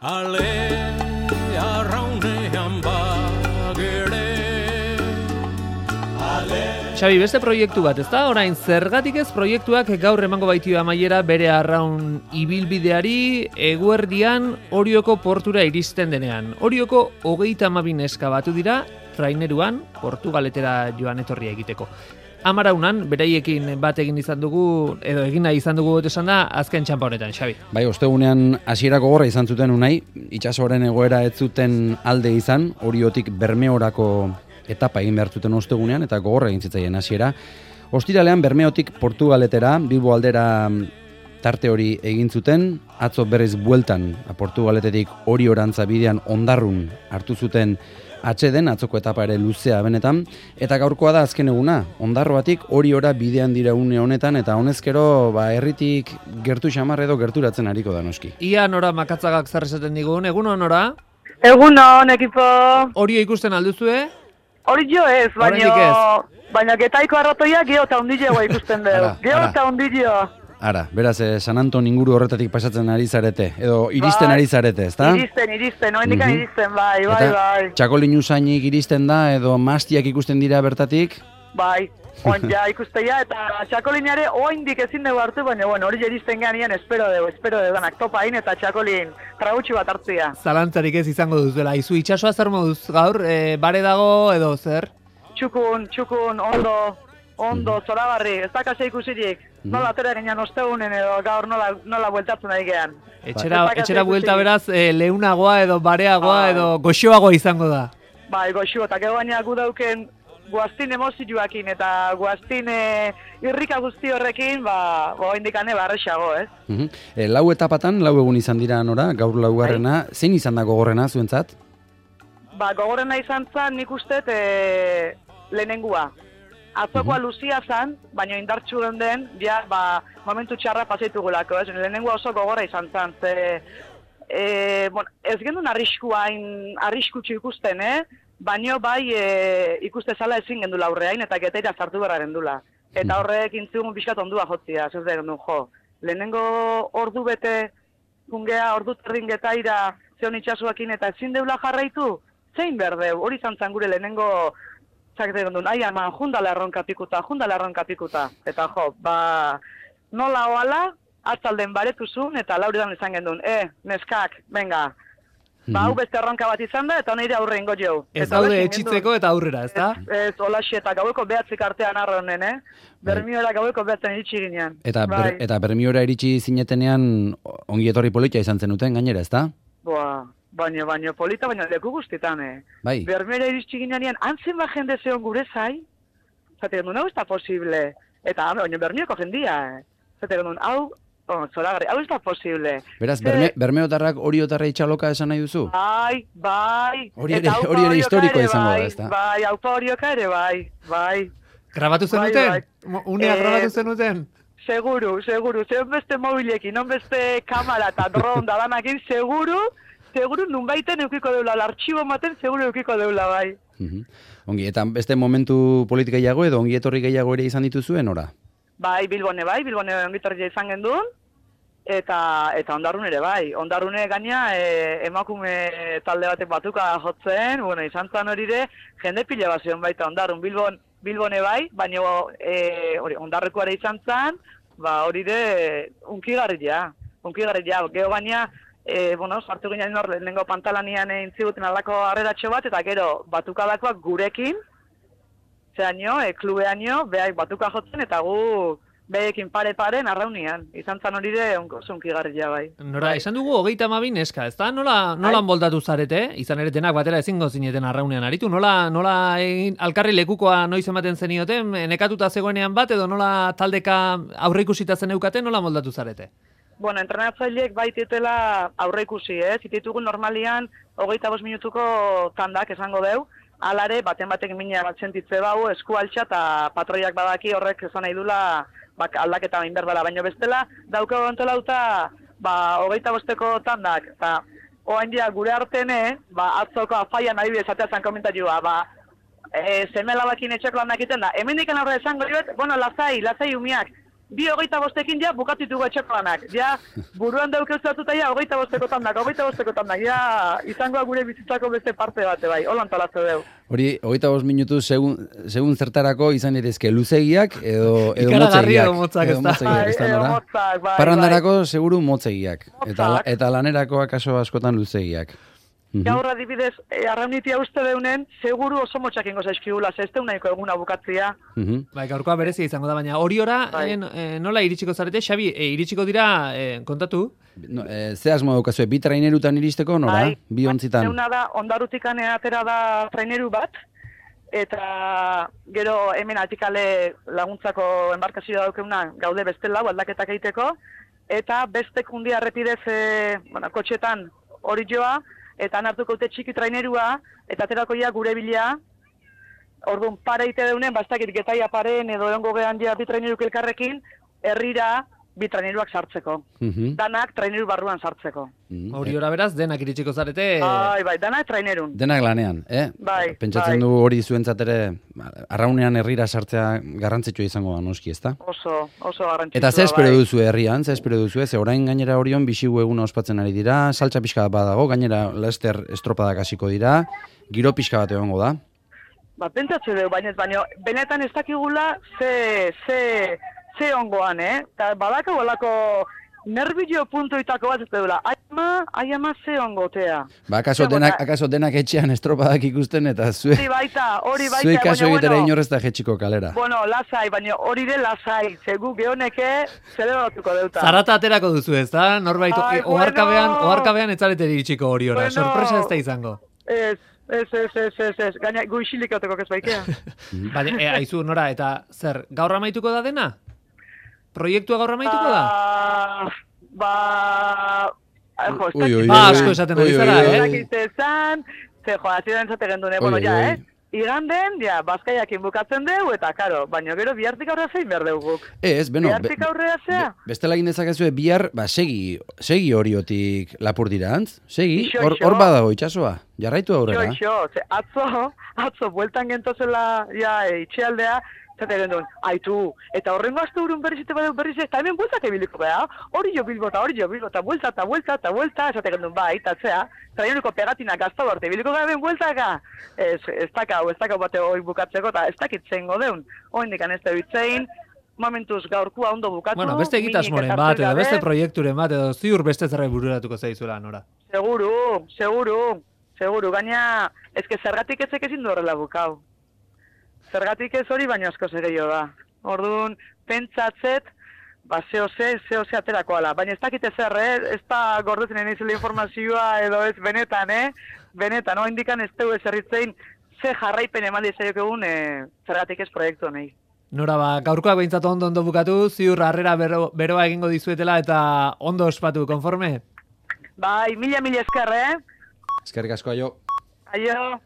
Ale arraunean bagere. Xabi, beste proiektu bat, ezta? Orain, zergatik ez proiektuak gaur emango baitio amaiera bere arraun ibilbideari eguerdian Orioko portura iristen denean. Orioko 32 neska batu dira, traineruan, Portugaletera joan etorria egiteko. Amaraunan, beraiekin bat egin izan dugu, edo egin nahi izan dugu esan da, azken txampa honetan, Xabi. Bai, ostegunean hasierako gorra izan zuten unai, itsasoaren egoera ez zuten alde izan, Oriotik Bermeorako etapa egin behar zuten ostegunean, eta gogorra egin zitzaien hasiera. Ostiralean Bermeotik Portugaletera, Bilbo aldera tarte hori egin zuten, atzo berriz bueltan, Portugaletetik Oriorantza bidean Ondarrun hartu zuten atseden, atzoko etapa ere luzea benetan, eta gaurkoa da azken eguna, Ondarroatik Oriora bidean dira une honetan, eta honezkero, herritik gertu xamar edo gerturatzen ariko da noski. Ia nora makatzagak zer esaten digun, egun honora? Egunon, ekipo. Orio ikusten alduzue? Hori jo ez, baina getaiko arratoia geho eta hundilegoa ikusten dugu. Geho eta hundileo. Ara, beraz, San Anton inguru horretatik pasatzen ari zarete, edo iristen ari zarete, ezta? Iristen, noendikan iristen, bai. Eta txakolin usainik iristen da, edo mastiak ikusten dira bertatik? Bai, ja ikustea, eta txakolineare oindik ezin dugu hartu, baina hori iristen ganean espero dugu danak topain eta txakolin tragutxu bat hartzea. Zalantzarik ez izango duzuela, izu itxasoa zer moduz gaur, bare dago edo zer? Txukun, ondo, zoragarri, ez dakase ikusirik. Nola atera ginean ostegunen edo gaur nola bueltatzen ari gehan. Etxera buelta beraz, leunagoa edo bareagoa edo goxoagoa izango da. Bai, goxo, eta gero baina gu dauken guaztin emozioakin eta guaztin irrika guzti horrekin, indikane barrexago, ez? Lau etapatan, lau egun izan dira nora, gaur laugarrena, zein izan da gogorrena zuentzat? Gogorrena izan zen nik uste lehenengua. Atzokoa luzia zan, baina indartxu den, momentu txarra pasaitugulako, ez? Lehenengua oso gogorra izan zen, ez gendun arriskutsu ikusten, baina bai ikuste zala ezin gendula aurreain eta geteira zartu berra gendula. Eta horrek intzigun pixkat ondua jotzia, ez da gendun jo. Lehenengo ordu bete, ordu terrin getaira, zeon itxasuakin eta ezin deula jarraitu, zein berdeu, hori izan zen gure lehenengo txakete gendun, eman, jundala erronka pikuta. Eta jo, nola oala, atzalden baretuzun eta lauridan izan gendun, neskak, venga. Hau beste erronka bat izan da, eta nire aurre ingo jau. Ez daude etxitzeko eta aurrera, ez da? Ez, holaxi eta gaueko behatzik artean arra honen, Bermiora gaueko behatzen iritsi ginean. Eta Bermiora iritsi zinetenean ongi etorri polita izan zenuten gainera, ez da? Baina polita, baina leku guztietan, Bai. Bermiora iritsi ginean, antzen ba jende zeon gure zai, zate gendun, hau ez da posible. Eta, baina Bermioko jendia, zate gendun, zoragarri, hau ez da posible. Beraz, Bermeotarrak Oriotarra itxaloka esan nahi duzu? Bai. Hori ere historikoa izango da, ez da? Bai, aupa Orioka ere, bai. Grabatu zenuten? Unea grabatu zenuten? Seguru, zeon beste mobilekin, non beste kamara eta dron da danakin, seguru nunbaiten eukiko deula, l'artxibo maten seguru eukiko deula, bai. Ongi, eta beste momentu politika gehiago edo ongi etorri gehiago ere izan dituzuen, ora? Bai, Bilbone ongi etorri izan gendun, eta Ondarrun ere bai. Ondarrune gaina emakume talde batek batuka jotzen, izan zan hori ere, jende pila bat zion baita Ondarrun, Bilbone bai, baina Ondarrekoare izan zan, hori ere unkigarria, geho gaina, sartu ginen hor, lehenengo pantalanian intziguten aldako harreratxo bat, eta gero batukadakoak gurekin, zeaino, klubeaino, behai batuka jotzen, eta gu behekin pare-paren arraunian. Izan zan hori ere unkigarria bai. Nora, esan dugu 32 neska, ez da? Nola moldatu zarete? Izan ere denak batera ezingo zineten arraunean aritu. Nola alkarri lekukoa noiz ematen zenioten, nekatuta zegoenean bat, edo nola taldeka aurreikusita zen eukaten, nola moldatu zarete? Entrenatzaileek baititela aurreikusi, zititugun normalian 25 minutuko tandak esango deu, alare, batek mina bat sentitze bau, esku altxa eta patroiak badaki horrek esan nahi dula aldaketa bain berbala, baina bestela daukago entolauta 25ko tandak, eta oain dia gure artene, atzoko afaian nahi esatea zan komentatua, semela bakin etxeko lan dakiten da, hemen diken aurre esango dut, lasai umiak, bi 25ekin ja bukatitugu etxeko lanak. Ja, buruan daukeuzatuta ja 25 tandak, ja, izangoa gure bizitzako beste parte bate bai, holan talazte deu. Hori, 25 minutu segun zertarako izan daitezke luzegiak edo Ikaragarri motzegiak. edo motzak, ez da? Edo motzak, bai. Parrandarako seguru motzegiak. Motzak. Eta lanerako akaso askotan luzegiak. Gaur adibidez, arraunitia uste deunen, seguru oso motxak ingo zaizkigula, ez nahiko eguna bukatzia. Bai, gaurkoa berezia izango da, baina hori ora, nola iritsiko zarete? Xabi, iritsiko dira, kontatu? No, ze asmo daukazue, bi trainerutan iristeko, nora? Bai, Bi ontzitan. Zeuna da, ondarutikan atera da traineru bat, eta gero hemen atikale laguntzako enbarkazioa daukeuna gaude beste lau aldaketak egiteko, eta bestek hundia errepidez kotxetan hori joa, eta hartuko dute txiki trainerua, eta aterako ja gure bila, orduan pare ite deunen, bastakit getaia paren edo egongo gehan ja bi traineruk elkarrekin, herrira bi traineruak sartzeko. Danak traineru barruan sartzeko. Hori ora beraz, denak iritsiko zarete. Bai, danak trainerun. Denak lanean, Bai, Pentsatzen du hori zuentzat ere, arraunean herrira sartzea garrantzitsua izango da noski, ezta? Oso garrantzitsua. Eta ze espero duzu herrian, ze orain gainera Orion bisigu eguna ospatzen ari dira, saltza pixka bat badago, gainera Lester estropadak hasiko dira, giro pixka bat egongo da. Pentsatze dugu, baina benetan ez dakigula ze ongoan, Eta badako balako nervio puntuitako bat ez dula. Aiama ze ongotea. Akaso denak etxean estropadak ikusten eta Hori baita. Zuek kaso egitera inorrez da jetxiko kalera. Bueno, lasai, baina hori de lasai. Zegu geoneke zelebratuko deuta. Zarata aterako duzu, ez da? Norbait, oharkabean etzarete iritsiko hori ora. Sorpresa ez da izango. Ez. Gaina gu isilik euteko kezbaikea. Bale, aizu, Nora, eta zer, gaur amaituko da dena? Proiektua gaur amaituko da? Asko esaten ari zara, Hasieran esate gendune, iganden, Bazkaiakin bukatzen deu, eta karo, baina gero bihartik aurrea zein behar deu guk. Bihartik aurrea zea? Bestela egin dezakezue bihar, segi horiotik lapurdiraantz, segi, hor badago itxasoa, jarraitu aurrera. Atzo, bueltan gentozela, itxealdea, zate gendun, aitu, eta horrengo astu urun berrizite badeu berriz, eta hemen bueltak ebiliko beha, hori jo bilbota, buelta, esate gendun, itatzea, traineruko pegatina gazta barte, ebiliko hemen bueltaka, ez dakau bate hori bukatzeko, eta ez dakitzen godeun, hori indikan ez da bitzein, momentuz gaurkua ondo bukatu. Bueno, beste egitasmoren bat, edo beste proiekturen bat, edo ziur beste zerre bururatuko zaizuela, Nora. Seguru, gaina, ezke zergatik ezek ezin du horrela bukau. Zergatik ez hori, baina asko gehiago da. Orduan, pentsatzet, zehose aterako ala. Baina ez dakite zer, ez da gordetzen enizela informazioa edo ez benetan, Benetan, indikan ez tegu ezerritzein, ze jarraipen eman dizaiok egun zergatik ez proiektu honei. Nora, gaurkoak behintzatu ondo bukatu, ziur harrera beroa egingo dizuetela eta ondo ospatu, konforme? Bai, mila esker, Eskerrik asko, aio. Aio.